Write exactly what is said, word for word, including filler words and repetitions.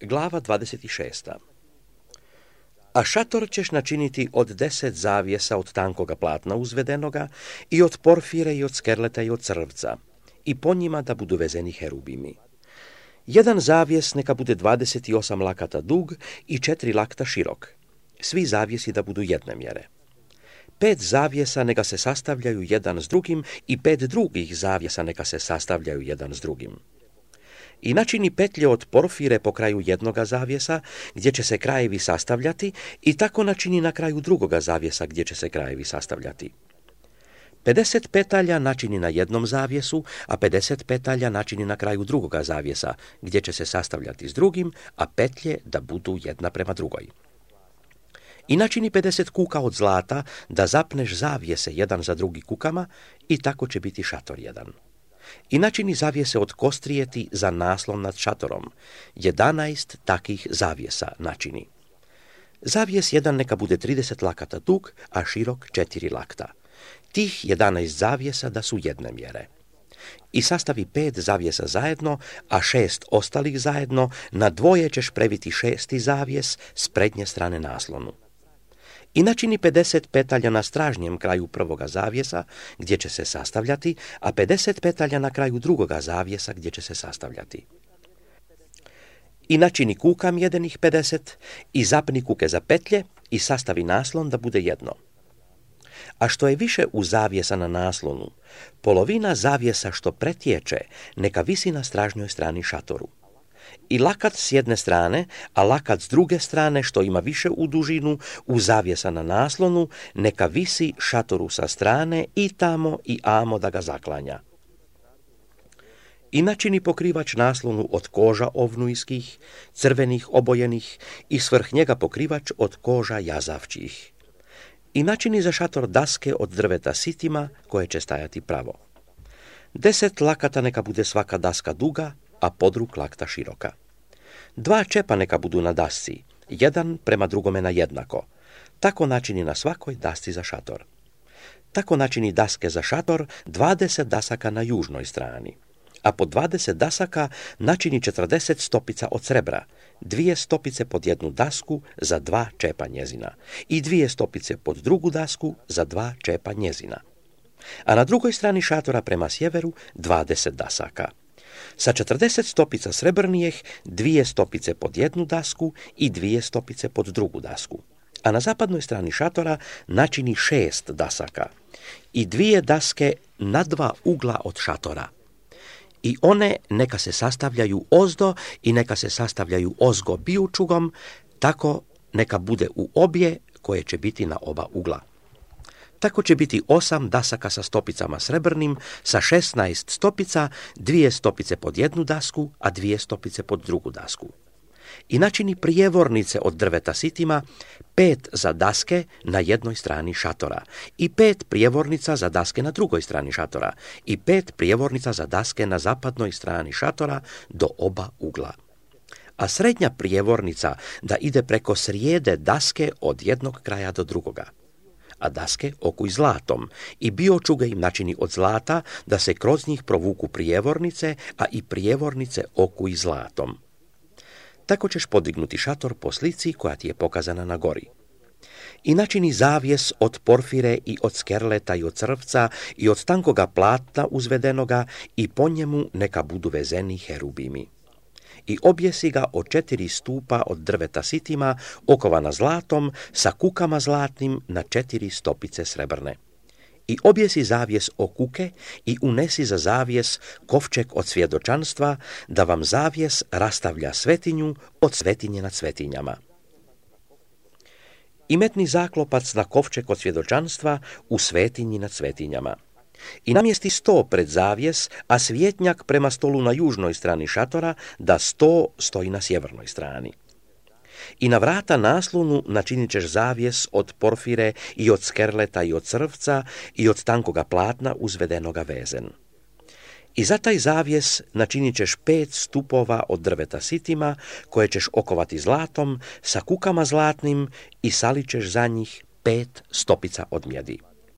Glava dvadeset šest. A šator ćeš načiniti od deset zavjesa od tankoga platna uzvedenoga i od porfire i od skerleta i od crvca, i po njima da budu vezeni herubimi. Jedan zavjes neka bude dvadeset osam lakata dug i četiri lakta širok, svi zavjesi da budu jedne mjere. Pet zavjesa neka se sastavljaju jedan s drugim i pet drugih zavjesa neka se sastavljaju jedan s drugim. I načini petlje od porfire po kraju jednoga zavjesa, gdje će se krajevi sastavljati, i tako načini na kraju drugoga zavjesa, gdje će se krajevi sastavljati. pedeset petalja načini na jednom zavjesu, a pedeset petalja načini na kraju drugoga zavjesa, gdje će se sastavljati s drugim, a petlje da budu jedna prema drugoj. I načini pedeset kuka od zlata, da zapneš zavjese jedan za drugi kukama, i tako će biti šator jedan. I načini zavjese od kostrijeti za naslon nad šatorom, jedanaest takih zavjesa načini. Zavjes jedan neka bude trideset lakata dug, a širok četiri lakta. Tih jedanaest zavjesa da su jedne mjere. I sastavi pet zavjesa zajedno, a šest ostalih zajedno, na dvoje ćeš previti šesti zavjes s prednje strane naslonu. I načini pedeset petalja na stražnjem kraju prvoga zavjesa, gdje će se sastavljati, a pedeset petalja na kraju drugoga zavjesa, gdje će se sastavljati. I načini kuka mjedenih pedeset, i zapni kuke za petlje, i sastavi naslon da bude jedno. A što je više u zavjesa na naslonu, polovina zavjesa što pretječe, neka visi na stražnjoj strani šatoru. I lakat s jedne strane, a lakat s druge strane, što ima više u dužinu, u zavjesa na naslonu, neka visi šatoru sa strane i tamo i amo da ga zaklanja. I načini pokrivač naslonu od koža ovnujskih, crvenih obojenih, i svrh njega pokrivač od koža jazavčih. I načini za šator daske od drveta sitima, koje će stajati pravo. Deset lakata neka bude svaka daska duga, a podrug lakta široka. Dva čepa neka budu na dasci, jedan prema drugome na jednako. Tako načini na svakoj dasci za šator. Tako načini daske za šator dvadeset dasaka na južnoj strani, a po dvadeset dasaka načini četrdeset stopica od srebra, dvije stopice pod jednu dasku za dva čepa njezina i dvije stopice pod drugu dasku za dva čepa njezina. A na drugoj strani šatora prema sjeveru dvadeset dasaka. Sa četrdeset stopica srebrnijeh, dvije stopice pod jednu dasku i dvije stopice pod drugu dasku. A na zapadnoj strani šatora načini šest dasaka i dvije daske na dva ugla od šatora. I one neka se sastavljaju ozdo i neka se sastavljaju ozgo bijučugom, tako neka bude u obje koje će biti na oba ugla. Tako će biti osam dasaka sa stopicama srebrnim, sa šesnaest stopica, dvije stopice pod jednu dasku, a dvije stopice pod drugu dasku. I načini prijevornice od drveta sitima, pet za daske na jednoj strani šatora, i pet prijevornica za daske na drugoj strani šatora, i pet prijevornica za daske na zapadnoj strani šatora do oba ugla. A srednja prijevornica da ide preko srijede daske od jednog kraja do drugoga. A daske okuj zlatom i biočuge im načini od zlata da se kroz njih provuku prijevornice, a i prijevornice okuj zlatom. Tako ćeš podignuti šator po slici koja ti je pokazana na gori. I načini zavjes od porfire i od skerleta i od crvca i od tankoga platna uzvedenoga i po njemu neka budu vezeni herubimi. I objesi ga od četiri stupa od drveta sitima, okovana zlatom, sa kukama zlatnim na četiri stopice srebrne. I objesi zavjes o kuke i unesi za zavjes kovčeg od svjedočanstva, da vam zavjes rastavlja svetinju od svetinje nad svetinjama. I metni zaklopac na kovčeg od svjedočanstva u svetinji nad svetinjama. I namjesti sto pred zavjes, a svjetnjak prema stolu na južnoj strani šatora, da sto stoji na sjevernoj strani. I na vrata naslonu načinit ćeš zavjes od porfire i od skerleta i od crvca i od tankoga platna uzvedenoga vezen. I za taj zavjes načinit ćeš pet stupova od drveta sitima, koje ćeš okovati zlatom, sa kukama zlatnim, i salit ćeš za njih pet stopica od mjedi.